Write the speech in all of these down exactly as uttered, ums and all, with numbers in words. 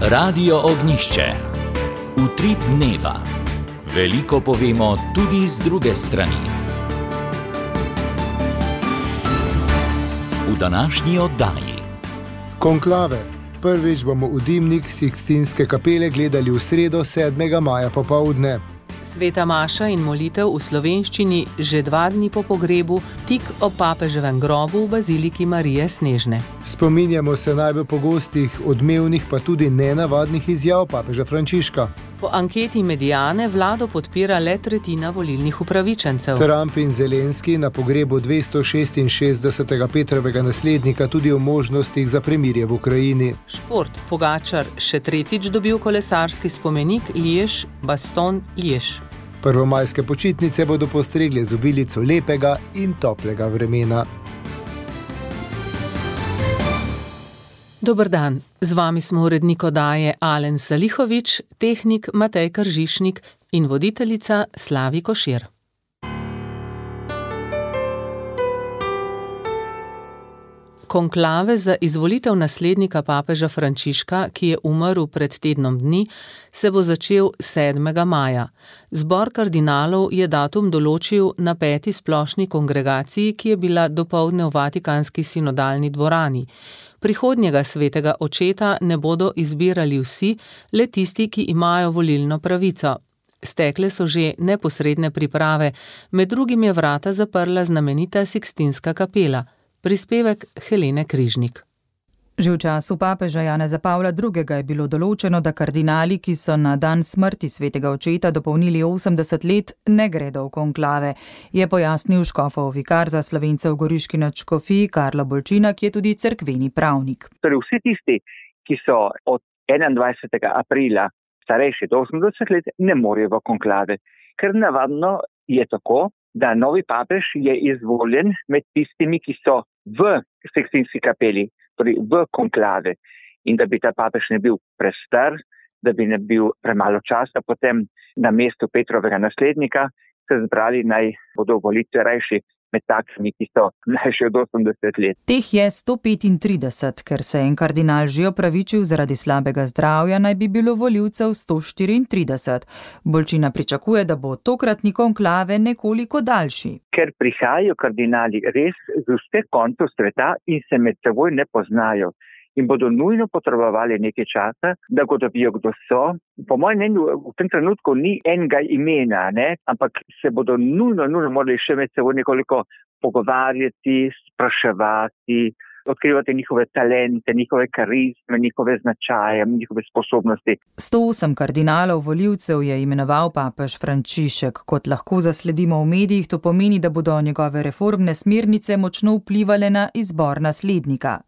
Radio Ognjišče. Utrip dneva. Veliko povemo tudi z druge strani. V današnji oddaji. Konklave. Prvič bomo v dimnik Sikstinske kapele gledali v sredo sedmega maja popoldne. Sveta maša in molitev v slovenščini že dva dni po pogrebu, tik ob papeževem grobu v baziliki Marije Snežne. Spominjamo se najbolj pogostih, odmevnih pa tudi nenavadnih izjav papeža Frančiška. Po anketi Mediane vlado podpira le tretjina volilnih upravičencev. Trump in Zelenski na pogrebu dvestošestinšestdesetega Petrovega naslednika tudi o možnostih za premirje v Ukrajini. Šport. Pogačar še tretjič dobil kolesarski spomenik Liež-Bastogne-Liež. Prvomajske počitnice bodo postregle z obilico lepega in toplega vremena. Dober dan, z vami smo urednik oddaje Alen Salihovič, tehnik Matej Kržišnik in voditeljica Slavi Košir. Konklave za izvolitev naslednika papeža Frančiška, ki je umrl pred tednom dni, se bo začel sedmega maja. Zbor kardinalov je datum določil na peti splošni kongregaciji, ki je bila dopoldne v Vatikanski sinodalni dvorani. Prihodnjega svetega očeta ne bodo izbirali vsi, le tisti, ki imajo volilno pravico. Stekle so že neposredne priprave, med drugim je vrata zaprla znamenita Sikstinska kapela. Prispevek Helene Križnik. Že v času papeža Janeza Pavla drugega je bilo določeno, da kardinali, ki so na dan smrti svetega očeta dopolnili osemdeset let, ne gredo v konklave, je pojasnil škofov vikar za Slovence v Goriški nadškofiji Karlo Bolčina, ki je tudi cerkveni pravnik. Torej vsi tisti, ki so od enaindvajsetega aprila starejši do osemdeset let, ne morejo v konklave, ker navadno je tako, da novi papež je izvoljen med tistimi, ki so v Sikstinski kapeli, torej v konklave, in da bi ta papež ne bil prestar, da bi ne bil premalo časa, potem na mestu Petrovega naslednika se zbrali naj bodo volitve rajši med takimi, ki so mlajši od osemdeset let. Teh je sto petintrideset, ker se en kardinal že opravičil zaradi slabega zdravja, naj bi bilo volivcev sto štiriintrideset. Bolčina pričakuje, da bo tokratni konklave nekoliko daljši. Ker prihajajo kardinali res z vseh koncev sveta in se med seboj ne poznajo in bodo nujno potrebovali nekaj časa, da ugotovijo, kdo so. Po mojem mnenju v tem trenutku ni enega imena, ne? Ampak se bodo nujno, nujno morali še med seboj nekoliko pogovarjati, spraševati, odkrivati njihove talente, njihove karizme, njihove značaje, njihove sposobnosti. sto osem kardinalov volivcev je imenoval papež Frančišek. Kot lahko zasledimo v medijih, to pomeni, da bodo njegove reformne smernice močno vplivale na izbor naslednika.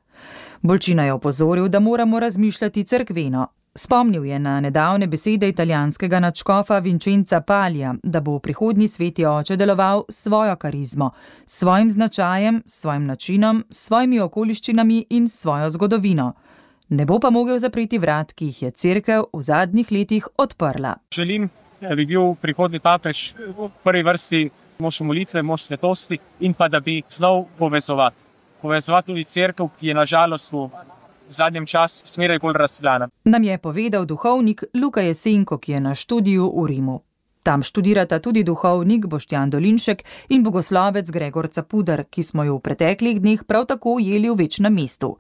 Bolčina je opozoril, da moramo razmišljati cerkveno. Spomnil je na nedavne besede italijanskega nadškofa Vincenza Palija, da bo v prihodnji sveti oče deloval s svojo karizmo, s svojim značajem, s svojim načinom, s svojimi okoliščinami in s svojo zgodovino. Ne bo pa mogel zapreti vrat, ki jih je cerkev v zadnjih letih odprla. Želim, da bi bil prihodnji papež v prvi vrsti mož molitve, mož svetosti in pa da bi znal povezovati. Povezovati tudi cerkev, ki je na žalost v zadnjem času smeraj bolj razklana. Nam je povedal duhovnik Luka Jesenko, ki je na študiju v Rimu. Tam študirata tudi duhovnik Boštjan Dolinšek in bogoslovec Gregor Capuder, ki smo jo v preteklih dneh prav tako ujeli v večnem mestu.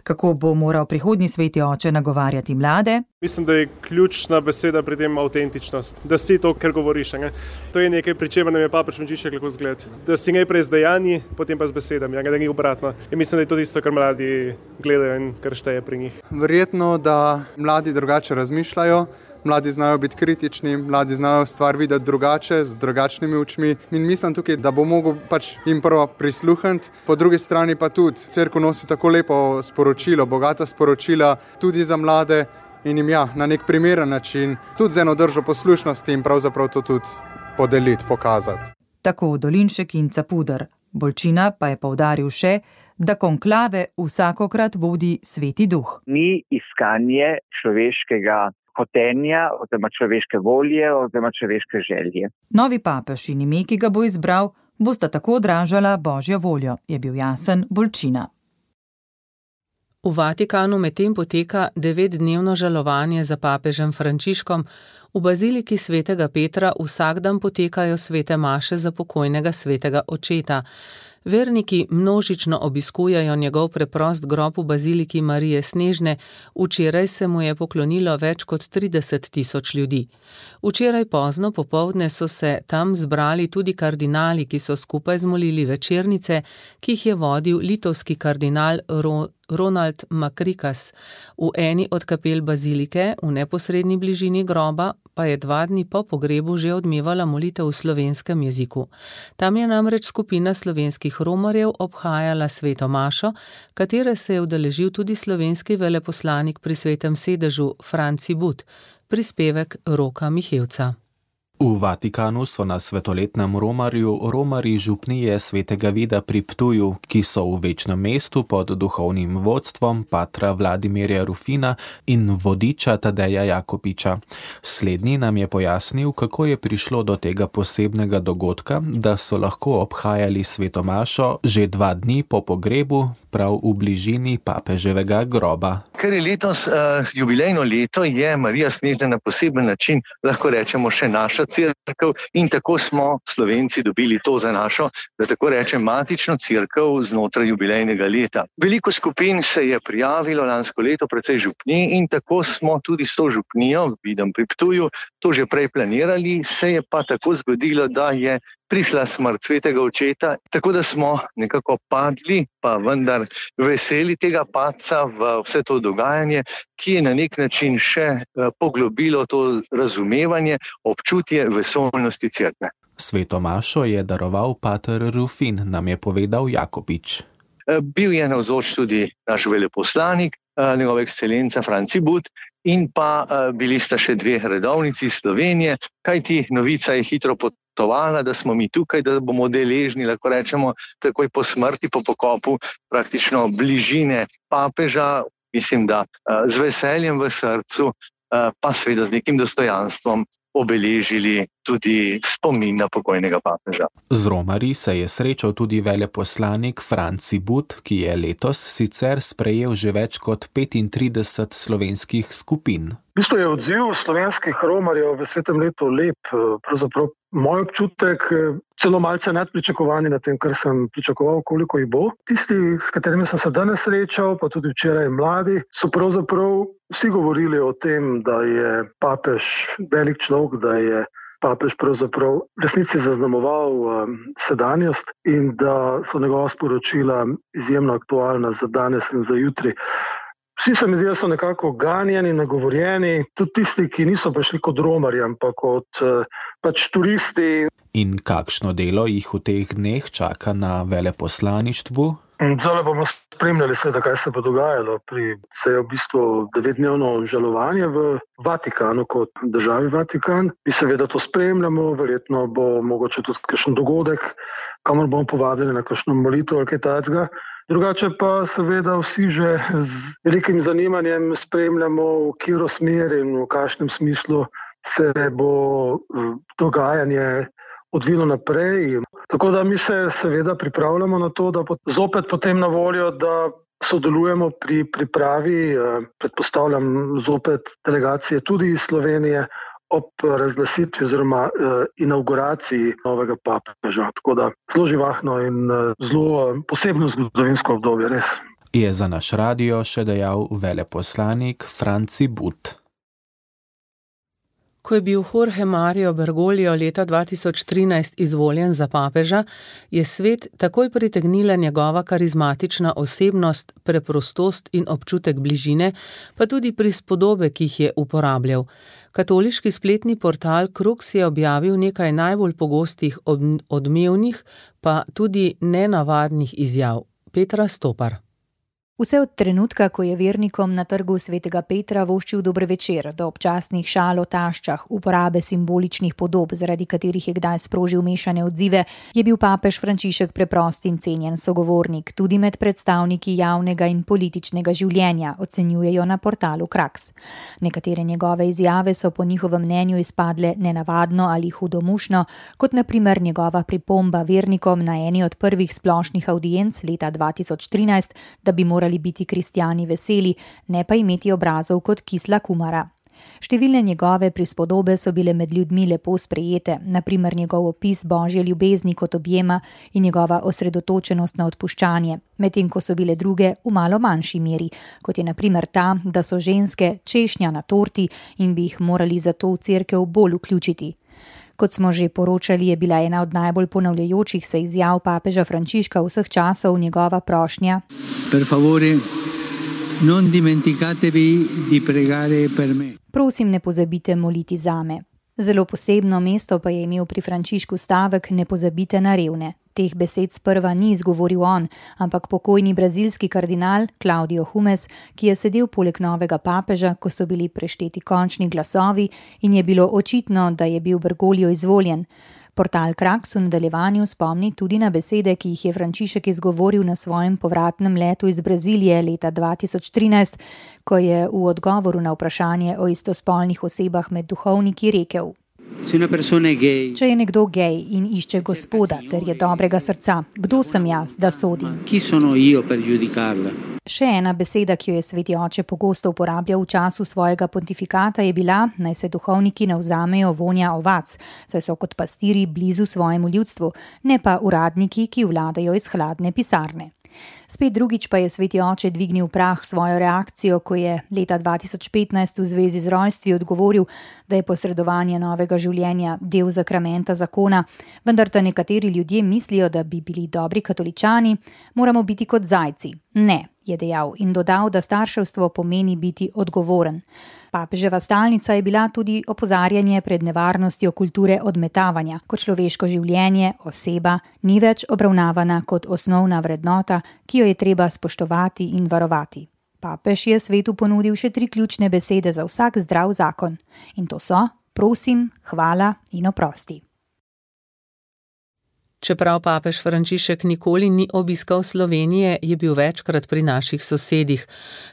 Kako bo moral prihodnji sveti oče nagovarjati mlade? Mislim, da je ključna beseda pri tem avtentičnost. Da si to, kar govoriš. Ne? To je nekaj, pri čemer nam je papež Frančišek lahko zgled. Da si najprej z dejanji, potem pa z besedami, ja, da ni obratno. In mislim, da je to tisto, kar mladi gledajo in kar šteje pri njih. Verjetno, da mladi drugače razmišljajo. Mladi znajo biti kritični, mladi znajo stvar videti drugače, z drugačnimi očmi. In mislim tukaj, da bo mogel pač jim prvo prisluhniti, po drugi strani pa tudi cerkev nosi tako lepo sporočilo, bogata sporočila tudi za mlade in jim ja, na nek primeren način, tudi z eno držo poslušnosti in pravzaprav to tudi podeliti, pokazati. Tako Dolinšek in Capuder. Bolčina pa je poudaril še, da konklave vsakokrat vodi Sveti Duh. Ni iskanje človeškega hotenja, oziroma človeške volje, oziroma človeške želje. Novi papež in ime, ki ga bo izbral, bosta tako odražala Božjo voljo, je bil jasen Bolčina. V Vatikanu medtem poteka devetdnevno žalovanje za papežem Frančiškom. V baziliki svetega Petra vsak dan potekajo svete maše za pokojnega svetega očeta. Verniki množično obiskujejo njegov preprost grob v baziliki Marije Snežne, včeraj se mu je poklonilo več kot trideset tisoč ljudi. Včeraj pozno popoldne so se tam zbrali tudi kardinali, ki so skupaj zmolili večernice, ki jih je vodil litovski kardinal Ro Ronald Makrikas. V eni od kapel bazilike, v neposredni bližini groba, pa je dva dni po pogrebu že odmevala molitev v slovenskem jeziku. Tam je namreč skupina slovenskih romarjev obhajala sveto mašo, katere se je udeležil tudi slovenski veleposlanik pri Svetem sedežu Franci But, prispevek Roka Mihevca. V Vatikanu so na svetoletnem romarju romarji župnije svetega Vida pri Ptuju, ki so v večnem mestu pod duhovnim vodstvom patra Vladimirja Rufina in vodiča Tadeja Jakopiča. Slednji nam je pojasnil, kako je prišlo do tega posebnega dogodka, da so lahko obhajali sveto mašo že dva dni po pogrebu, prav v bližini papeževega groba. Ker je letos uh, jubilejno leto, je Marija Snežna na poseben način, lahko rečemo, še naša cerkev, in tako smo Slovenci dobili to za našo, da tako rečem, matično cerkev znotraj jubilejnega leta. Veliko skupin se je prijavilo lansko leto, precej župnij, in tako smo tudi s to župnijo, vidim pri Ptuju, to že prej planirali, se je pa tako zgodilo, da je prišla smrt svetega očeta, tako da smo nekako padli, pa vendar veseli tega padca v vse to dogajanje, ki je na nek način še poglobilo to razumevanje, občutje vesoljnosti cerkve. Sveto mašo je daroval pater Rufin, nam je povedal Jakopič. Bil je navzoč tudi naš veleposlanik, njegova ekscelenca Franci But, in pa bili sta še dve redovnici iz Slovenije, kajti novica je hitro potovala, da smo mi tukaj, da bomo deležni, lahko rečemo, takoj po smrti, po pokopu, praktično bližine papeža, mislim, da z veseljem v srcu, pa seveda z nekim dostojanstvom obeležili tudi spomin na pokojnega papeža. Z romarji se je srečal tudi veleposlanik Franci But, ki je letos sicer sprejel že več kot petintrideset slovenskih skupin. V bistvu je odziv slovenskih romarjev v svetem letu lep, pravzaprav moj občutek celo malce nadpričakovani na tem, kar sem pričakoval, koliko jih bo. Tisti, s katerimi sem se danes srečal, pa tudi včeraj mladi, so pravzaprav vsi govorili o tem, da je papež velik človek, da je papež pravzaprav v resnici zaznamoval um, sedanjost in da so njegova sporočila izjemno aktualna za danes in za jutri. Vsi se mi zdi, da so nekako ganjeni, nagovorjeni, tudi tisti, ki niso prišli kot romarji, ampak kot uh, pač turisti. In kakšno delo jih v teh dneh čaka na veleposlaništvu? Zdaj bomo spremljali seveda, kaj se bo dogajalo. Pri se je v bistvu devetdnevno žalovanje v Vatikanu kot državi Vatikan. Mi seveda to spremljamo, verjetno bo mogoče tudi kakšen dogodek, kamor bomo povabili na kakšno molitev ali kaj takega. Drugače pa seveda vsi že z velikim zanimanjem spremljamo, v katero smer in v kakšnem smislu se bo dogajanje odvilo naprej. Tako da mi se seveda pripravljamo na to, da zopet potem na voljo, da sodelujemo pri pripravi, predpostavljam zopet delegacije tudi iz Slovenije, ob razglasitvi oziroma eh, inauguraciji novega papeža. Tako da zelo živahno in eh, zelo posebno zgodovinsko obdobje, res. Je za naš radio še dejal veleposlanik Franci But. Ko je bil Jorge Mario Bergoglio leta dva tisoč trinajst izvoljen za papeža, je svet takoj pritegnila njegova karizmatična osebnost, preprostost in občutek bližine, pa tudi prispodobe, ki jih je uporabljal. Katoliški spletni portal Krux je objavil nekaj najbolj pogostih odmevnih, pa tudi nenavadnih izjav. Petra Stopar. Vse od trenutka, ko je vernikom na trgu svetega Petra voščil dober večer, do občasnih šal o taščah, uporabe simboličnih podob, zaradi katerih je kdaj sprožil mešane odzive, je bil papež Frančišek preprost in cenjen sogovornik, tudi med predstavniki javnega in političnega življenja, ocenjujejo na portalu Krux. Nekatere njegove izjave so po njihovem mnenju izpadle nenavadno ali hudomušno, kot na primer njegova pripomba vernikom na eni od prvih splošnih audienc leta dva tisoč trinajst, da bi morali morali biti kristjani veseli, ne pa imeti obrazov kot kisla kumara. Številne njegove prispodobe so bile med ljudmi lepo sprejete, na primer njegov opis božje ljubezni kot objema in njegova osredotočenost na odpuščanje, medtem ko so bile druge v malo manjši meri, kot je na primer ta, da so ženske češnja na torti in bi jih morali zato v cerkev bolj vključiti. Kot smo že poročali, je bila ena od najbolj ponavljajočih se izjav papeža Frančiška vseh časov njegova prošnja: Per favore, non dimenticatevi di pregare per me. Prosim, ne pozabite moliti zame. Zelo posebno mesto pa je imel pri Frančišku stavek ne pozabite na revne. Teh besed sprva ni izgovoril on, ampak pokojni brazilski kardinal Claudio Humes, ki je sedel poleg novega papeža, ko so bili prešteti končni glasovi in je bilo očitno, da je bil Bergoglio izvoljen. Portal Kraks v nadaljevanju spomni tudi na besede, ki jih je Frančišek izgovoril na svojem povratnem letu iz Brazilije leta dva tisoč trinajst, ko je v odgovoru na vprašanje o istospolnih osebah med duhovniki rekel: Če je nekdo gej in išče Gospoda ter je dobrega srca, kdo sem jaz, da sodim? Še ena beseda, ki jo je sveti oče pogosto uporabljal v času svojega pontifikata, je bila, naj se duhovniki ne vzamejo vonja ovac, saj so kot pastiri blizu svojemu ljudstvu, ne pa uradniki, ki vladajo iz hladne pisarne. Spet drugič pa je sveti oče dvignil prah svojo reakcijo, ko je leta dva tisoč petnajst v zvezi z rojstvi odgovoril, da je posredovanje novega življenja del zakramenta zakona, vendar da nekateri ljudje mislijo, da bi bili dobri katoličani, moramo biti kot zajci. Ne, je dejal in dodal, da starševstvo pomeni biti odgovoren. Papeževa stalnica je bila tudi opozarjanje pred nevarnostjo kulture odmetavanja, ko človeško življenje, oseba, ni več obravnavana kot osnovna vrednota, ki jo je treba spoštovati in varovati. Papež je svetu ponudil še tri ključne besede za vsak zdrav zakon. In to so: prosim, hvala in oprosti. Čeprav papež Frančišek nikoli ni obiskal Slovenije, je bil večkrat pri naših sosedih.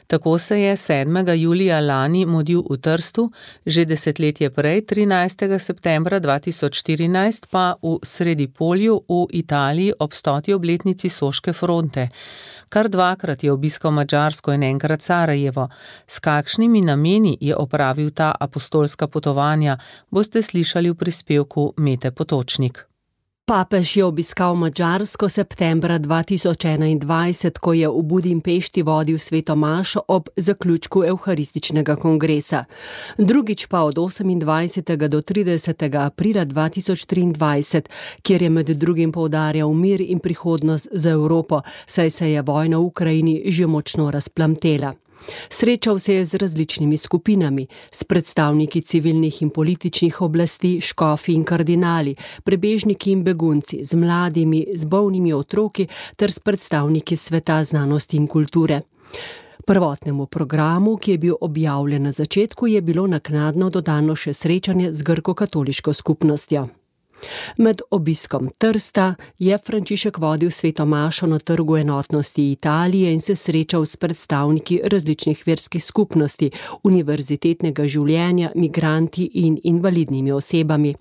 Tako se je sedmega julija lani mudil v Trstu, že desetletje prej, trinajstega septembra dva tisoč štirinajst, pa v Sredipolju v Italiji ob stoti obletnici Soške fronte. Kar dvakrat je obiskal Madžarsko in enkrat Sarajevo. S kakšnimi nameni je opravil ta apostolska potovanja, boste slišali v prispevku Mete Potočnik. Papež je obiskal Madžarsko septembra dva tisoč enaindvajset, ko je v Budimpešti vodil sveto mašo ob zaključku evharističnega kongresa. Drugič pa od osemindvajsetega do tridesetega aprila dva tisoč triindvajset, kjer je med drugim poudarjal mir in prihodnost za Evropo, saj se je vojna v Ukrajini že močno razplamtela. Srečal se je z različnimi skupinami, s predstavniki civilnih in političnih oblasti, škofi in kardinali, prebežniki in begunci, z mladimi, z bolnimi otroki ter s predstavniki sveta znanosti in kulture. Prvotnemu programu, ki je bil objavljen na začetku, je bilo naknadno dodano še srečanje z grko-katoliško skupnostjo. Med obiskom Trsta je Frančišek vodil sveto mašo na Trgu enotnosti Italije in se srečal s predstavniki različnih verskih skupnosti, univerzitetnega življenja, migranti in invalidnimi osebami.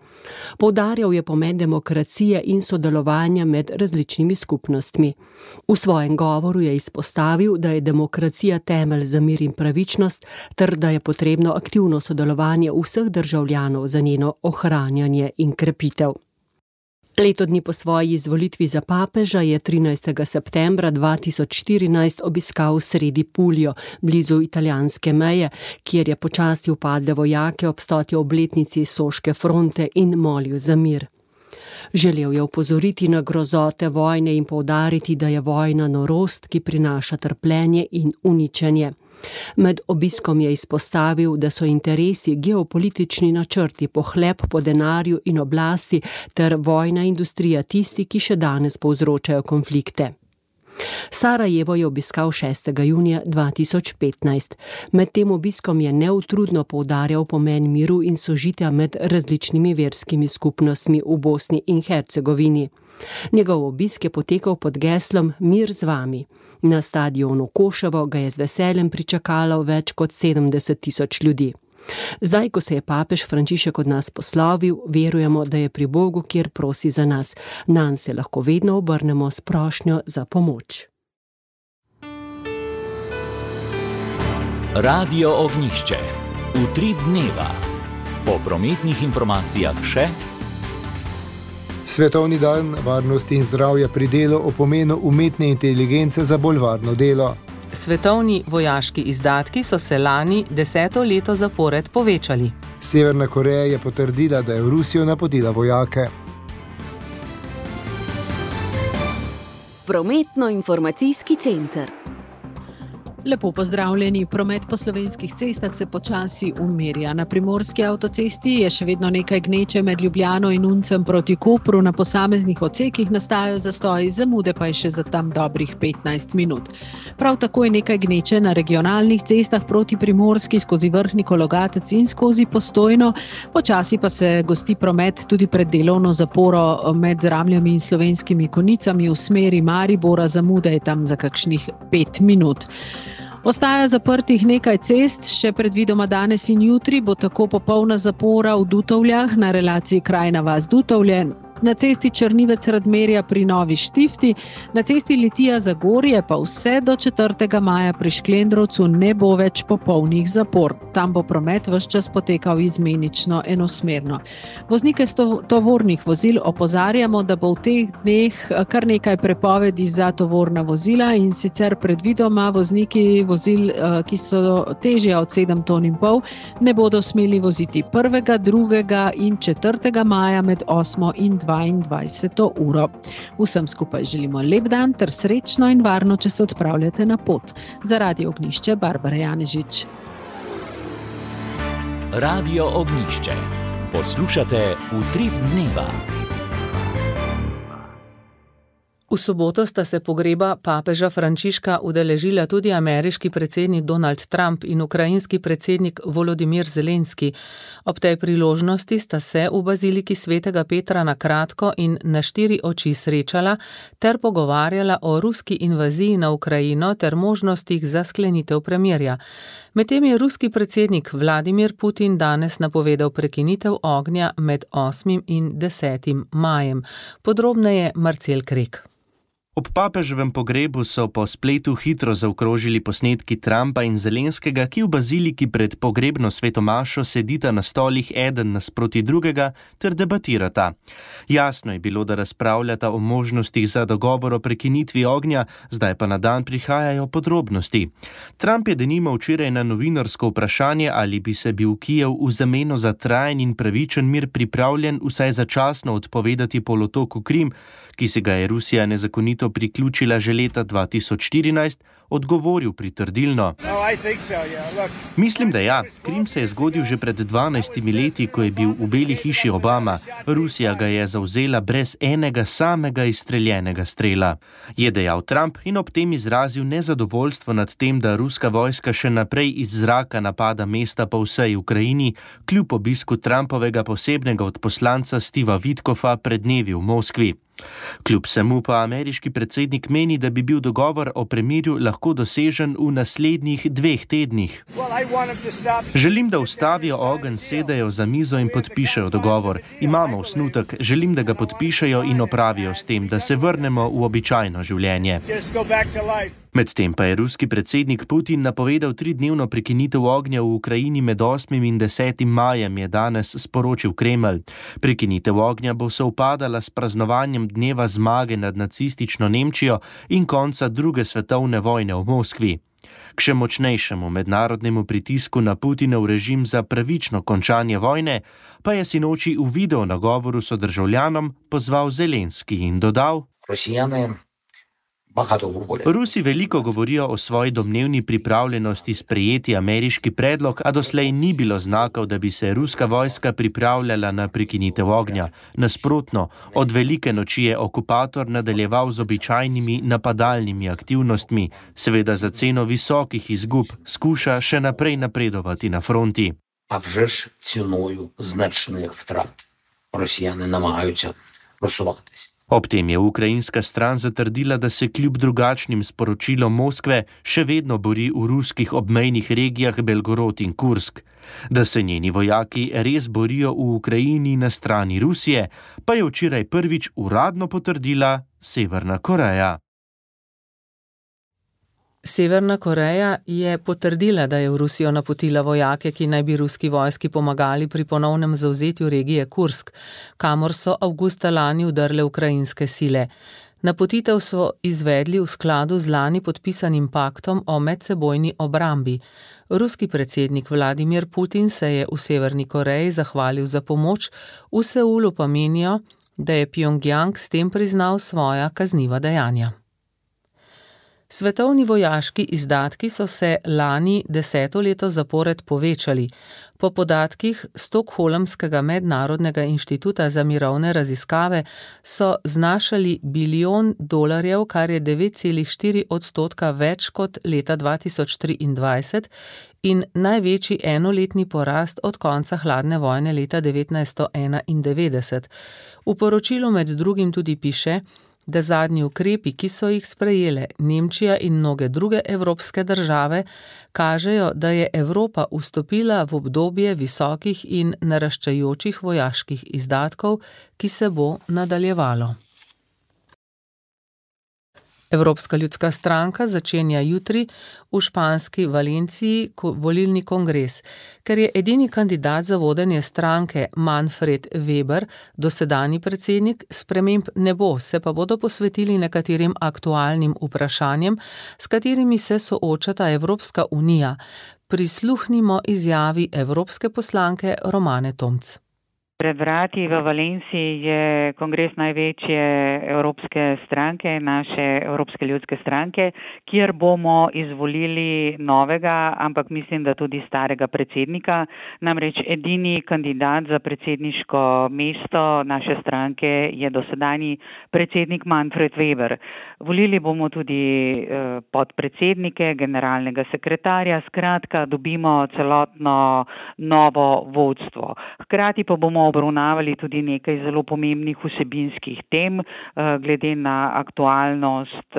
Poudarjal je pomen demokracije in sodelovanja med različnimi skupnostmi. V svojem govoru je izpostavil, da je demokracija temelj za mir in pravičnost, ter da je potrebno aktivno sodelovanje vseh državljanov za njeno ohranjanje in krepitev. Leto dni po svoji izvolitvi za papeža je trinajstega septembra dva tisoč štirinajst obiskal Sredipolje, blizu italijanske meje, kjer je počastil padle vojake ob stoti obletnici Soške fronte in molil za mir. Želel je opozoriti na grozote vojne in poudariti, da je vojna norost, ki prinaša trpljenje in uničenje. Med obiskom je izpostavil, da so interesi, geopolitični načrti, pohlep po denarju in oblasti ter vojna industrija tisti, ki še danes povzročajo konflikte. Sarajevo je obiskal šestega junija dva tisoč petnajst. Med tem obiskom je neutrudno poudarjal pomen miru in sožitja med različnimi verskimi skupnostmi v Bosni in Hercegovini. Njegov obisk je potekal pod geslom Mir z vami. Na stadionu Koševo ga je z veseljem pričakalo več kot sedemdeset tisoč ljudi. Zdaj, ko se je papež Frančišek od nas poslovil, verujemo, da je pri Bogu, kjer prosi za nas. Nanj se lahko vedno obrnemo s prošnjo za pomoč. Radio Ognjišče. Utrip dneva. Po prometnih informacijah še. Svetovni dan varnosti in zdravja pri delu o pomenu umetne inteligence za bolj varno delo. Svetovni vojaški izdatki so se lani deseto leto zapored povečali. Severna Koreja je potrdila, da je v Rusijo napotila vojake. Prometno-informacijski center. Lepo pozdravljeni. Promet po slovenskih cestah se počasi umirja. Na primorski avtocesti je še vedno nekaj gneče med Ljubljano in Uncem proti Kopru. Na posameznih odsekih nastajajo zastoji, zamude pa je še za tam dobrih petnajst minut. Prav tako je nekaj gneče na regionalnih cestah proti Primorski skozi Vrhnik, Logatec in skozi Postojno. Počasi pa se gosti promet tudi pred delovno zaporo med Ramljami in Slovenskimi Konicami v smeri Maribora. Zamude je tam za kakšnih pet minut. Ostaja zaprtih nekaj cest, še predvidoma danes in jutri bo tako popolna zapora v Dutovljah na relaciji Krajna vas-Dutovlje, na cesti Črnivec-Radmerja pri Novi Štifti, na cesti Litija-Zagorje pa vse do četrtega maja pri Šklendrovcu ne bo več popolnih zapor. Tam bo promet ves čas potekal izmenično enosmerno. Voznike tovornih vozil opozarjamo, da bo v teh dneh kar nekaj prepovedi za tovorna vozila in sicer predvidoma vozniki vozil, ki so težja od sedem ton in pol, ne bodo smeli voziti prvega, drugega in četrtega maja med osmo in dvaindvajseto uro. Vsem skupaj želimo lep dan ter srečno in varno, če se odpravljate na pot. Za Radio Ognjišče, Barbara Janežič. Radio Ognjišče. Poslušate Utrip dneva. V soboto sta se pogreba papeža Frančiška udeležila tudi ameriški predsednik Donald Trump in ukrajinski predsednik Volodimir Zelenski. Ob tej priložnosti sta se v baziliki Svetega Petra na kratko in na štiri oči srečala ter pogovarjala o ruski invaziji na Ukrajino ter možnostih za sklenitev premirja. Medtem je ruski predsednik Vladimir Putin danes napovedal prekinitev ognja med osmim in desetim majem. Podrobneje Marcel Krek. Ob papeževem pogrebu so po spletu hitro zaokrožili posnetki Trumpa in Zelenskega, ki v baziliki pred pogrebno svetomašo sedita na stolih eden nasproti drugega ter debatirata. Jasno je bilo, da razpravljata o možnostih za dogovor o prekinitvi ognja, zdaj pa na dan prihajajo podrobnosti. Trump je denimo včeraj na novinarsko vprašanje, ali bi se bil Kijev v zameno za trajen in pravičen mir pripravljen vsaj začasno odpovedati polotoku Krim, ki se ga je Rusija nezakonito priključila že leta dva tisoč štirinajst, odgovoril pritrdilno. Mislim, da ja. Krim se je zgodil že pred dvanajstimi leti, ko je bil v Beli hiši Obama. Rusija ga je zavzela brez enega samega izstreljenega strela. Je dejal Trump in ob tem izrazil nezadovoljstvo nad tem, da ruska vojska še naprej iz zraka napada mesta po vsej Ukrajini, kljub obisku Trumpovega posebnega odposlanca Steva Witkofa pred dnevi v Moskvi. Kljub vsemu pa ameriški predsednik meni, da bi bil dogovor o premirju lahko dosežen v naslednjih dveh tednih. Želim, da ustavijo ogenj, sedajo za mizo in podpišejo dogovor. Imamo osnutek, želim, da ga podpišejo in opravijo s tem, da se vrnemo v običajno življenje. Medtem pa je ruski predsednik Putin napovedal tridnevno prekinitev ognja v Ukrajini med osmim in desetim majem, je danes sporočil Kremelj. Prekinitev ognja bo sovpadala s praznovanjem dneva zmage nad nacistično Nemčijo in konca druge svetovne vojne v Moskvi. K še močnejšemu mednarodnemu pritisku na Putinov režim za pravično končanje vojne pa je sinoči v video nagovoru sodržavljanom pozval Zelenski in dodal: Rusijane Rusi veliko govorijo o svoji domnevni pripravljenosti sprejeti ameriški predlog, a doslej ni bilo znakov, da bi se ruska vojska pripravljala na prekinitev ognja. Nasprotno, od velike noči je okupator nadaljeval z običajnimi napadalnimi aktivnostmi, seveda za ceno visokih izgub, skuša še naprej napredovati na fronti. A вже ж ціною значних втрат росіяни намагаються просуватись. Ob tem je ukrajinska stran zatrdila, da se kljub drugačnim sporočilom Moskve še vedno bori v ruskih obmejnih regijah Belgorod in Kursk. Da se njeni vojaki res borijo v Ukrajini na strani Rusije, pa je včeraj prvič uradno potrdila Severna Koreja. Severna Koreja je potrdila, da je v Rusijo napotila vojake, ki naj bi ruski vojski pomagali pri ponovnem zavzetju regije Kursk, kamor so avgusta lani udrle ukrajinske sile. Napotitev so izvedli v skladu z lani podpisanim paktom o medsebojni obrambi. Ruski predsednik Vladimir Putin se je v Severni Koreji zahvalil za pomoč, v Seulu pa menijo, da je Pjongjang s tem priznal svoja kazniva dejanja. Svetovni vojaški izdatki so se lani deseto leto zapored povečali. Po podatkih Stockholmskega mednarodnega inštituta za mirovne raziskave so znašali bilijon dolarjev, kar je devet celih štiri odstotka več kot leta dva tisoč triindvajset in največji enoletni porast od konca hladne vojne leta devetnajststo enaindevetdeset. V poročilu med drugim tudi piše, da zadnji ukrepi, ki so jih sprejele Nemčija in mnoge druge evropske države, kažejo, da je Evropa vstopila v obdobje visokih in naraščajočih vojaških izdatkov, ki se bo nadaljevalo. Evropska ljudska stranka začenja jutri v španski Valenciji volilni kongres. Ker je edini kandidat za vodenje stranke Manfred Weber, dosedanji predsednik, sprememb ne bo, se pa bodo posvetili nekaterim aktualnim vprašanjem, s katerimi se soočata Evropska unija. Prisluhnimo izjavi evropske poslanke Romane Tomc. Pred vrati v Valenciji je kongres največje evropske stranke, naše Evropske ljudske stranke, kjer bomo izvolili novega, ampak mislim, da tudi starega predsednika. Namreč edini kandidat za predsedniško mesto naše stranke je dosedanji predsednik Manfred Weber. Volili bomo tudi podpredsednike, generalnega sekretarja, skratka dobimo celotno novo vodstvo. Hkrati pa bomo obravnavali tudi nekaj zelo pomembnih vsebinskih tem, glede na aktualnost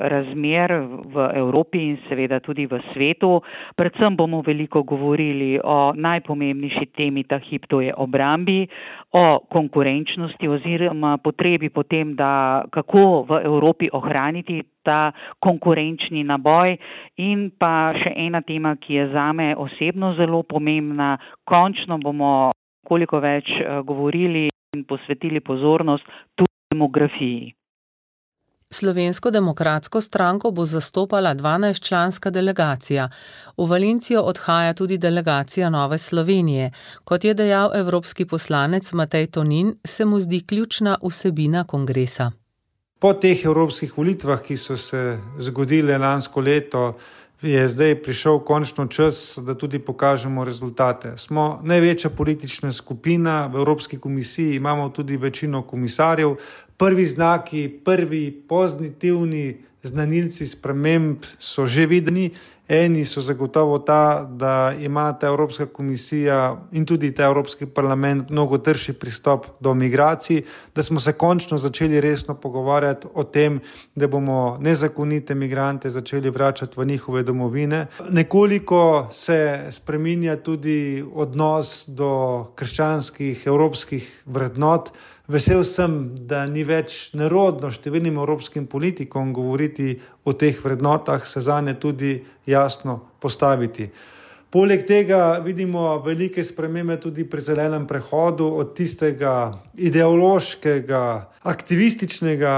razmer v Evropi in seveda tudi v svetu. Predvsem bomo veliko govorili o najpomembnejši temi ta hip, to je obrambi, o konkurenčnosti oziroma potrebi potem, da kako v Evropi ohraniti ta konkurenčni naboj in pa še ena tema, ki je zame osebno zelo pomembna. Končno bomo koliko več govorili in posvetili pozornost tudi demografiji. Slovensko demokratsko stranko bo zastopala dvanajstčlanska delegacija. V Valencijo odhaja tudi delegacija Nove Slovenije. Kot je dejal evropski poslanec Matej Tonin, se mu zdi ključna vsebina kongresa. Po teh evropskih volitvah, ki so se zgodile lansko leto, je zdaj prišel končno čas, da tudi pokažemo rezultate. Smo največja politična skupina v Evropski komisiji, imamo tudi večino komisarjev. Prvi znaki, prvi pozitivni znanilci sprememb so že videni. Eni so zagotovo ta, da ima ta Evropska komisija in tudi ta Evropski parlament mnogo trši pristop do migracij, da smo se končno začeli resno pogovarjati o tem, da bomo nezakonite migrante začeli vračati v njihove domovine. Nekoliko se spreminja tudi odnos do krščanskih evropskih vrednot. Vesel sem, da ni več nerodno številnim evropskim politikom govoriti o teh vrednotah, se zanje tudi jasno postaviti. Poleg tega vidimo velike spremembe tudi pri zelenem prehodu od tistega ideološkega, aktivističnega,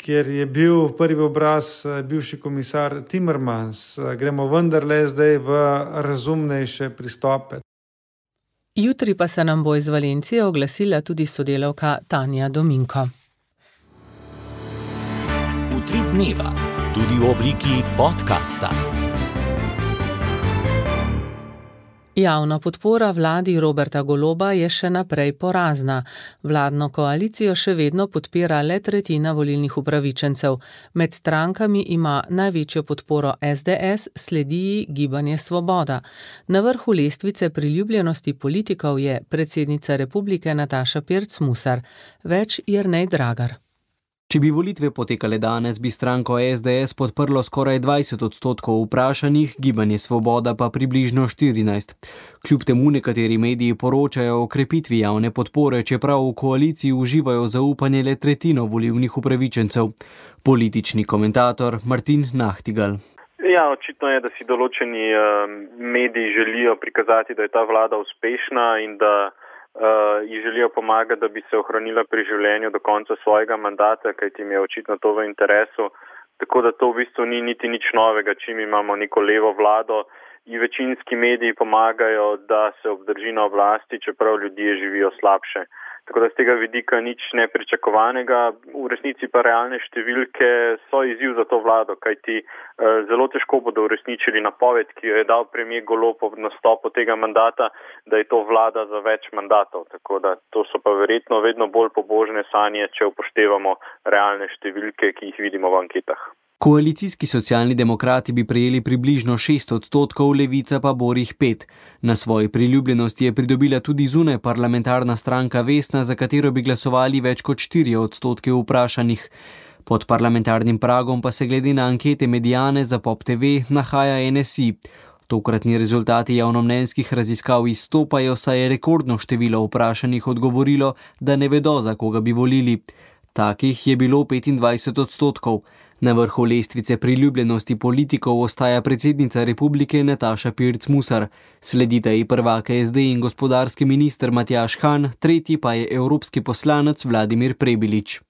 kjer je bil prvi obraz bivši komisar Timmermans. Gremo vendarle zdaj v razumnejše pristope. Jutri pa se nam bo iz Valencije oglasila tudi sodelavka Tanja Dominko. Utrip dneva, tudi v obliki podcasta. Javna podpora vladi Roberta Goloba je še naprej porazna. Vladno koalicijo še vedno podpira le tretjina volilnih upravičencev. Med strankami ima največjo podporo es de es, sledi ji Gibanje Svoboda. Na vrhu lestvice priljubljenosti politikov je predsednica republike Nataša Pirc Musar. Več Jernej Dragar. Če bi volitve potekale danes, bi stranko es de es podprlo skoraj dvajset odstotkov vprašanih, Gibanje Svoboda pa približno štirinajst. Kljub temu nekateri mediji poročajo o krepitvi javne podpore, čeprav v koaliciji uživajo zaupanje le tretjino volilnih upravičencev. Politični komentator Martin Nahtigal. Ja, očitno je, da si določeni uh, mediji želijo prikazati, da je ta vlada uspešna in da uh, ji želijo pomagati, da bi se ohranila pri življenju do konca svojega mandata, kajti jim je očitno to v interesu. Tako da to v bistvu ni niti nič novega, čim imamo neko levo vlado in večinski mediji pomagajo, da se obdrži na oblasti, čeprav ljudje živijo slabše. Tako da z tega vidika nič nepričakovanega, v resnici pa realne številke so izziv za to vlado, kajti eh, zelo težko bodo uresničili napoved, ki jo je dal premier Golob ob nastopu tega mandata, da je to vlada za več mandatov. Tako da to so pa verjetno vedno bolj pobožne sanje, če upoštevamo realne številke, ki jih vidimo v anketah. Koalicijski socialni demokrati bi prejeli približno šest odstotkov, Levica pa borih pet. Na svoji priljubljenosti je pridobila tudi zunaj parlamentarna stranka Vesna, za katero bi glasovali več kot štiri odstotke vprašanih. Pod parlamentarnim pragom pa se glede na ankete Mediane za Pop T V nahaja N S I. Tokratni rezultati javnomnenjskih raziskav izstopajo, saj je rekordno število vprašanih odgovorilo, da ne vedo, za koga bi volili. Takih je bilo petindvajset odstotkov. Na vrhu lestvice priljubljenosti politikov ostaja predsednica republike Nataša Pirc Musar. Sledita ji prvaka S D in gospodarski minister Matjaž Han, tretji pa je evropski poslanec Vladimir Prebilič.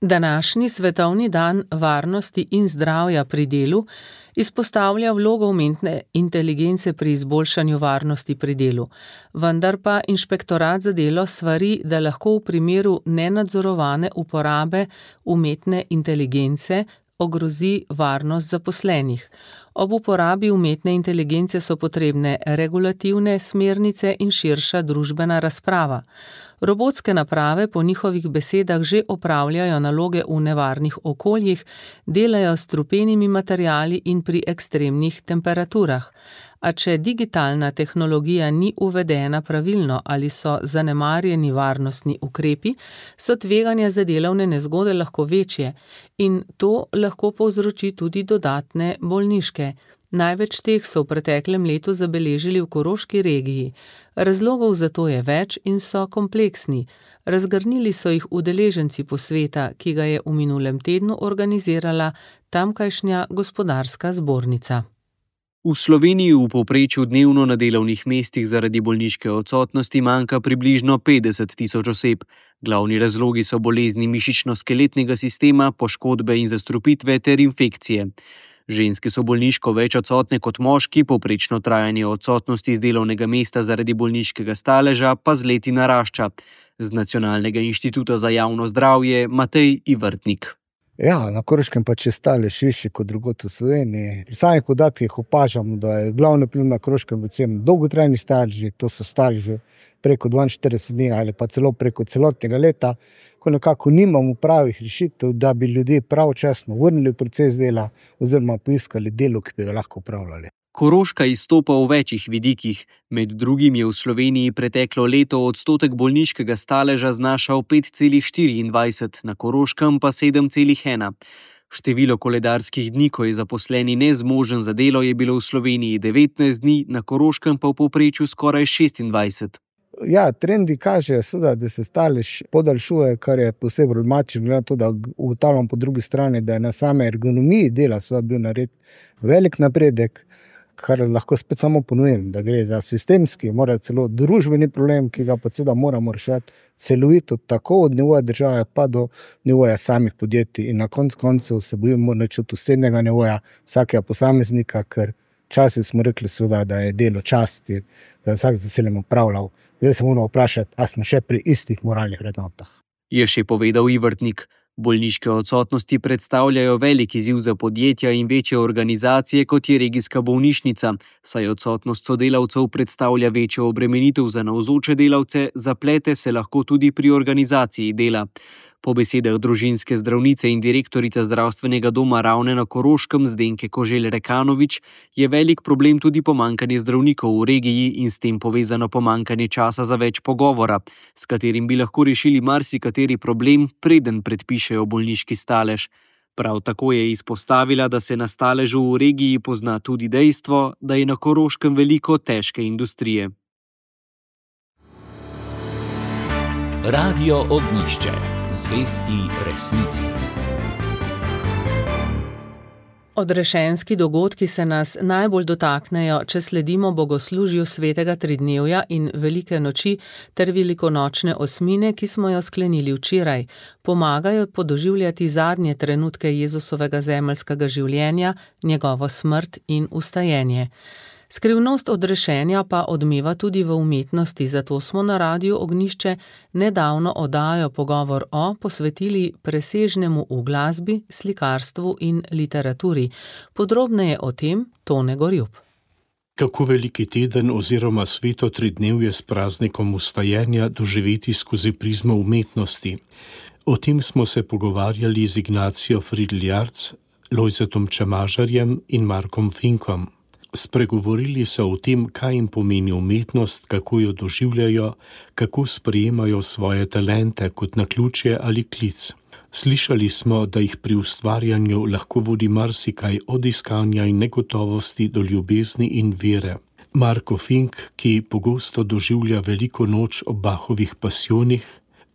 Današnji svetovni dan varnosti in zdravja pri delu izpostavlja vlogo umetne inteligence pri izboljšanju varnosti pri delu, vendar pa inšpektorat za delo svari, da lahko v primeru nenadzorovane uporabe umetne inteligence ogrozi varnost zaposlenih. Ob uporabi umetne inteligence so potrebne regulativne smernice in širša družbena razprava. Robotske naprave po njihovih besedah že opravljajo naloge v nevarnih okoljih, delajo s strupenimi materiali in pri ekstremnih temperaturah. A če digitalna tehnologija ni uvedena pravilno ali so zanemarjeni varnostni ukrepi, so tveganja za delovne nezgode lahko večje in to lahko povzroči tudi dodatne bolniške. Največ teh so v preteklem letu zabeležili v Koroški regiji. Razlogov za to je več in so kompleksni. Razgrnili so jih udeleženci posveta, ki ga je v minulem tednu organizirala tamkajšnja gospodarska zbornica. V Sloveniji v povprečju dnevno na delovnih mestih zaradi bolniške odsotnosti manjka približno petdeset tisoč oseb. Glavni razlogi so bolezni mišično-skeletnega sistema, poškodbe in zastrupitve ter infekcije. Ženske so bolniško več odsotne kot moški, povprečno trajanje odsotnosti z delovnega mesta zaradi bolniškega staleža pa z leti narašča. Z Nacionalnega inštituta za javno zdravje Matej Ivrtnik. Ja, na Koroškem pa če stalež višji kot drugod v Sloveniji. Pri samih podatkih opažamo, da je glavni vpliv na Koroškem predvsem dolgotrajni staleži, to so staleži preko dvainštirideset dni ali pa celo preko celotnega leta, ko nekako nimamo pravih rešitev, da bi ljudje pravočasno vrnili v proces dela oziroma poiskali delo, ki bi ga lahko upravljali. Koroška izstopa v večjih vidikih. Med drugim je v Sloveniji preteklo leto odstotek bolniškega staleža znašal pet celih štiriindvajset, na Koroškem pa sedem celih ena. Število koledarskih dni, ko je zaposleni nezmožen za delo, je bilo v Sloveniji devetnajst dni, na Koroškem pa v povprečju skoraj šestindvajset. Ja, trendi kažejo, da se stalež podaljšuje, kar je posebej problematično, glede na to, da ugotavljam po drugi strani, da je na same ergonomiji dela bil nared velik napredek, kar lahko spet samo ponovim, da gre za sistemski, mora celo družbeni problem, ki ga pa seveda moramo rešiti celovito, tako od nivoja države pa do nivoja samih podjetij in na koncu koncev se bojimo načuti vsebnega nivoja vsakega posameznika, ker včasih smo rekli seveda, da je delo časti, da je vsak z veseljem opravljal. Zdaj se moramo vprašati, a smo še pri istih moralnih vrednotah. Je še povedal Ivrtnik. Bolniške odsotnosti predstavljajo velik izziv za podjetja in večje organizacije, kot je regijska bolnišnica, saj odsotnost sodelavcev predstavlja večjo obremenitev za navzoče delavce, zaplete se lahko tudi pri organizaciji dela. Po besedah družinske zdravnice in direktorice zdravstvenega doma Ravne na Koroškem Zdenke Koželj Rekanovič je velik problem tudi pomanjkanje zdravnikov v regiji in s tem povezano pomanjkanje časa za več pogovora, s katerim bi lahko rešili marsikateri problem, preden predpišejo bolniški stalež. Prav tako je izpostavila, da se na staležu v regiji pozna tudi dejstvo, da je na Koroškem veliko težke industrije. Radio Ognjišče. Zvesti resnici. Odrešenski dogodki se nas najbolj dotaknejo, če sledimo bogoslužju svetega tridnevja in velike noči ter velikonočne osmine, ki smo jo sklenili včeraj. Pomagajo podoživljati zadnje trenutke Jezusovega zemeljskega življenja, njegovo smrt in vstajenje. Skrivnost odrešenja pa odmeva tudi v umetnosti, zato smo na Radiu Ognjišče nedavno oddajo Pogovor o posvetili presežnemu v glasbi, slikarstvu in literaturi. Podrobneje o tem Tone Gorjup. Kako veliki teden oziroma sveto tridnevje s praznikom vstajenja doživeti skozi prizmo umetnosti? O tem smo se pogovarjali z Ignacijo Fridl-Jarc, Lojzetom Čemažarjem in Markom Finkom. Spregovorili so o tem, kaj jim pomeni umetnost, kako jo doživljajo, kako sprejemajo svoje talente kot naključje ali klic. Slišali smo, da jih pri ustvarjanju lahko vodi marsikaj od iskanja in negotovosti do ljubezni in vere. Marko Fink, ki pogosto doživlja veliko noč ob Bachovih pasijonih,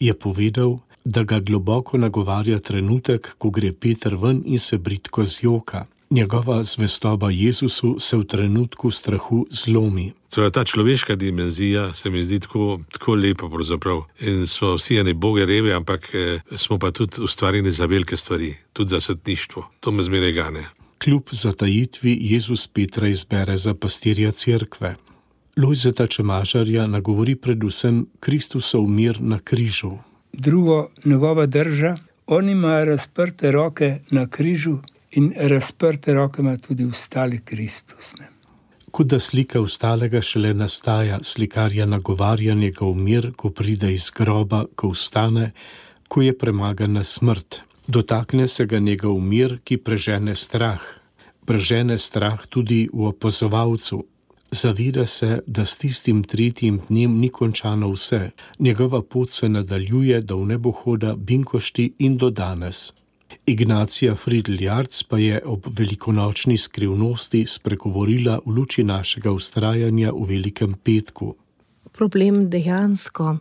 je povedal, da ga globoko nagovarja trenutek, ko gre Peter ven in se bridko zjoka. Njegova zvestoba Jezusu se v trenutku strahu zlomi. Torej, ta človeška dimenzija se mi zdi tako, tako lepa pravzaprav. In smo vsi eni boge revi, ampak eh, smo pa tudi ustvarjeni za velike stvari, tudi za svetništvo. To me zmeraj gane. Kljub zatajitvi Jezus Petra izbere za pastirja cerkve. Lojzeta Čemažarja nagovori predvsem Kristusov mir na križu. Drugo, njegova drža, on ima razprte roke na križu, in razprte roke ima tudi vstali Kristus. Ne? Kot da slika vstalega šele nastaja, slikarja nagovarja njegov mir, ko pride iz groba, ko vstane, ko je premagana smrt. Dotakne se ga njegov mir, ki prežene strah. Prežene strah tudi v opazovalcu. Zaveda se, da s tistim tretjim dnem ni končano vse. Njegova pot se nadaljuje do nebohoda, binkošti in do danes. Ignacija Fridl-Jarc pa je ob velikonočni skrivnosti spregovorila v luči našega vztrajanja v Velikem petku. Problem dejansko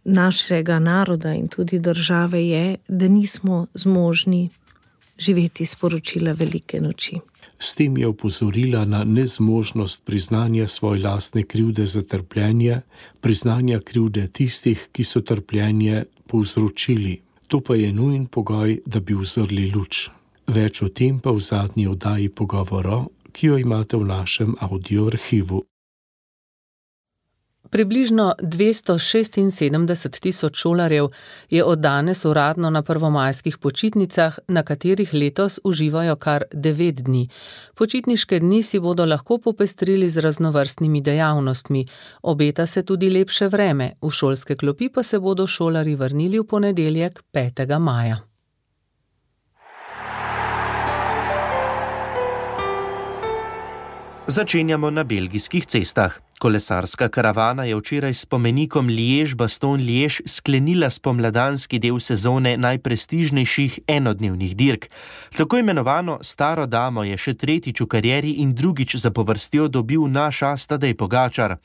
našega naroda in tudi države je, da nismo zmožni živeti sporočila Velike noči. S tem je opozorila na nezmožnost priznanja svoje lastne krivde za trpljenje, priznanja krivde tistih, ki so trpljenje povzročili. To pa je nujen pogoj, da bi uzrli luč. Več o tem pa v zadnji oddaji Pogovoro, ki jo imate v našem audio arhivu. Približno dvesto šestinsedemdeset tisoč šolarjev je od danes uradno na prvomajskih počitnicah, na katerih letos uživajo kar devet dni. Počitniške dni si bodo lahko popestrili z raznovrstnimi dejavnostmi. Obeta se tudi lepše vreme, v šolske klopi pa se bodo šolarji vrnili v ponedeljek petega maja. Začenjamo na belgijskih cestah. Kolesarska karavana je včeraj s spomenikom Liège-Bastogne-Liège sklenila spomladanski del sezone najprestižnejših enodnevnih dirk. Tako imenovano staro damo je še tretjič v karieri in drugič zapovrstjo dobil naš as Tadej Pogačar.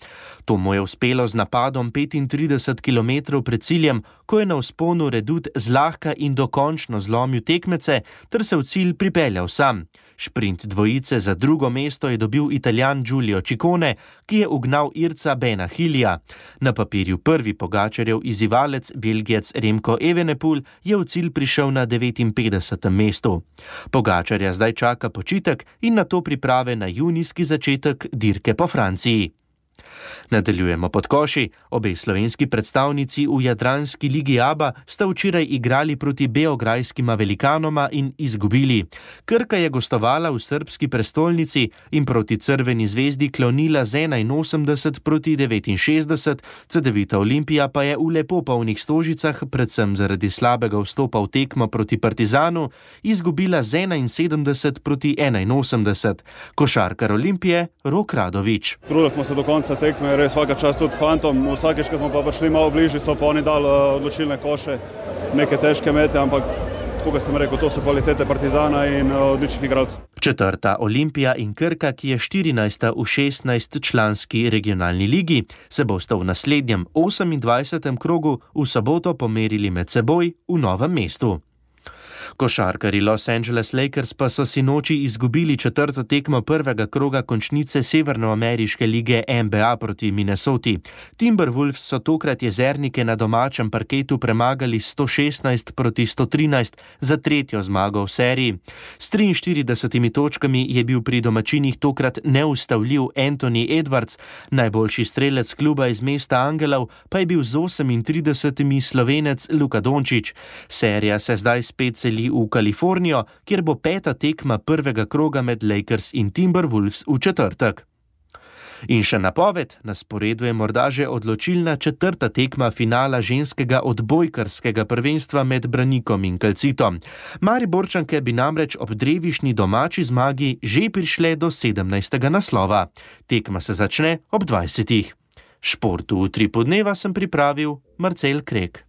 To mu je uspelo z napadom petintrideset kilometrov pred ciljem, ko je na vzponu Redut zlahka in dokončno zlomil tekmece ter se v cilj pripeljal sam. Šprint dvojice za drugo mesto je dobil Italijan Giulio Ciccone, ki je ugnal Irca Bena Hilija. Na papirju prvi Pogačarjev izzivalec, Belgijec Remco Evenepoel, je v cilj prišel na devetinpetdesetem mestu. Pogačarja zdaj čaka počitek in nato priprave na junijski začetek dirke po Franciji. Nadaljujemo pod koši. Obe slovenski predstavnici v Jadranski ligi Aba sta včeraj igrali proti beograjskima velikanoma in izgubili. Krka je gostovala v srbski prestolnici in proti Crveni zvezdi klonila z enainosemdeset proti devetinšestdeset, Cedevita Olimpija pa je v lepo polnih Stožicah, predvsem zaradi slabega vstopa v tekmo proti Partizanu, izgubila z enainsedemdeset proti enainosemdeset. Košarkar Olimpije Rok Radović. Trudili smo se do konca tekme, res vsaka čast tudi fantom. Vsakeč, ko smo pa prišli malo bližje, so pa oni dali odločilne koše, neke težke mete, ampak kot sem rekel, to so kvalitete Partizana in odličnih igralcev. Četrta Olimpija in Krka, ki je štirinajsta v šestnajstčlanski regionalni ligi, se bosta v naslednjem osemindvajsetem krogu v soboto pomerili med seboj v Novem mestu. Košarkarji Los Angeles Lakers pa so si noči izgubili četrto tekmo prvega kroga končnice Severnoameriške lige N B A proti Minnesoti. Timberwolves so tokrat jezernike na domačem parketu premagali sto šestnajst proti sto trinajst za tretjo zmago v seriji. S triinštiridesetimi točkami je bil pri domačinih tokrat neustavljiv Anthony Edwards, najboljši strelec kluba iz mesta Angelov pa je bil z osemintridesetimi Slovenec Luka Dončić. Serija se zdaj spet seli v Kalifornijo, kjer bo peta tekma prvega kroga med Lakers in Timberwolves v četrtek. In še napoved, na sporedu je morda že odločilna četrta tekma finala ženskega odbojkarskega prvenstva med Branikom in Calcitom. Mariborčanke bi namreč ob drevišni domači zmagi že prišle do sedemnajstega naslova. Tekma se začne ob dvajsetih. Športu v Utripu dneva sem pripravil Marcel Krek.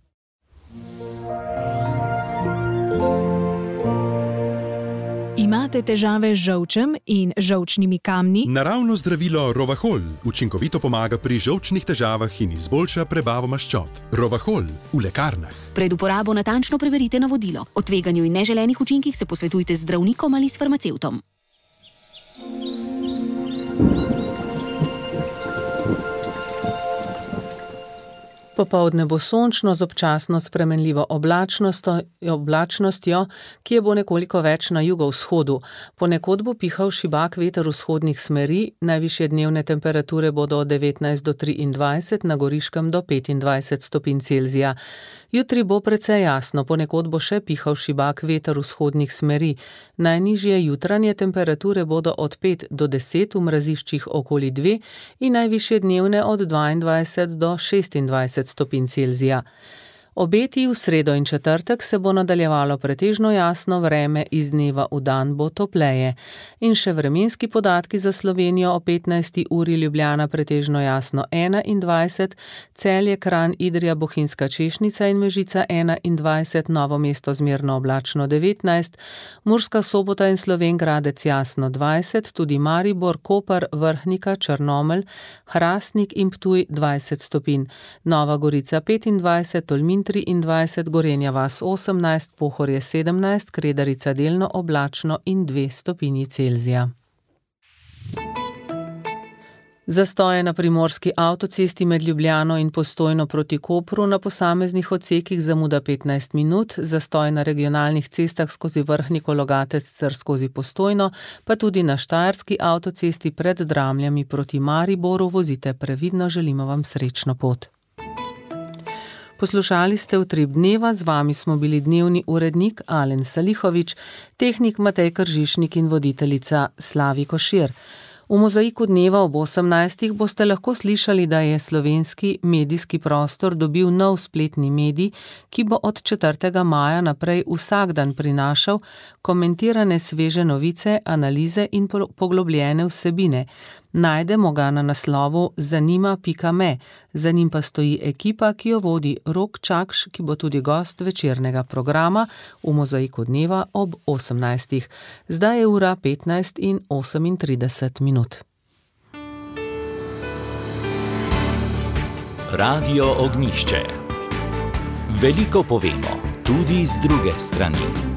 Imate težave z žolčem in žolčnimi kamni? Naravno zdravilo Rovahol učinkovito pomaga pri žolčnih težavah in izboljša prebavo maščob. Rovahol v lekarnah. Pred uporabo natančno preverite navodilo. O tveganju in neželenih učinkih se posvetujte z zdravnikom ali s farmacevtom. Popoldne bo sončno z občasno spremenljivo oblačnostjo, oblačnostjo, ki je bo nekoliko več na jugovzhodu. Ponekod bo pihal šibak veter vzhodnih smeri, najvišje dnevne temperature bodo od devetnajst do triindvajset, na Goriškem do petindvajset stopinj Celzija. Jutri bo precej jasno, ponekod bo še pihal šibak veter vzhodnih smeri. Najnižje jutranje temperature bodo od pet do deset, v mraziščih okoli dve in najvišje dnevne od dvaindvajset do šestindvajset stopinj Celzija. Obeti v sredo in četrtek se bo nadaljevalo pretežno jasno vreme, iz dneva v dan bo topleje. In še vremenski podatki za Slovenijo: o petnajsti uri Ljubljana pretežno jasno enaindvajset, Celje, Kranj, Idrija, Bohinjska Češnica in Mežica enaindvajset, Novo mesto zmerno oblačno devetnajst, Murska Sobota in Slovenj Gradec jasno dvajset, tudi Maribor, Koper, Vrhnika, Črnomelj, Hrastnik in Ptuj dvajset stopinj, Nova Gorica petindvajset, Tolmin triindvajset, Gorenja vas osemnajst, Pohorje sedemnajst, Kredarica delno oblačno in dve stopinji Celzija. Zastoje na primorski avtocesti med Ljubljano in Postojno proti Kopru, na posameznih odsekih zamuda petnajst minut, zastoj na regionalnih cestah skozi Vrhniko, Logatec ter skozi Postojno, pa tudi na štajerski avtocesti pred Dramljami proti Mariboru. Vozite previdno, želimo vam srečno pot. Poslušali ste Utrip dneva, z vami smo bili dnevni urednik Alen Salihovič, tehnik Matej Kržišnik in voditeljica Slavi Košir. V Mozaiku dneva ob osemnajstih boste lahko slišali, da je slovenski medijski prostor dobil nov spletni medij, ki bo od četrtega maja naprej vsak dan prinašal komentirane sveže novice, analize in poglobljene vsebine. Najdemo ga na naslovu zanima pika me, za njim pa stoji ekipa, ki jo vodi Rok Čakš, ki bo tudi gost večernega programa v Mozaiku dneva ob osemnajstih. Zdaj je ura petnajst in osemintrideset minut. Radio Ognjišče. Veliko povemo, tudi z druge strani.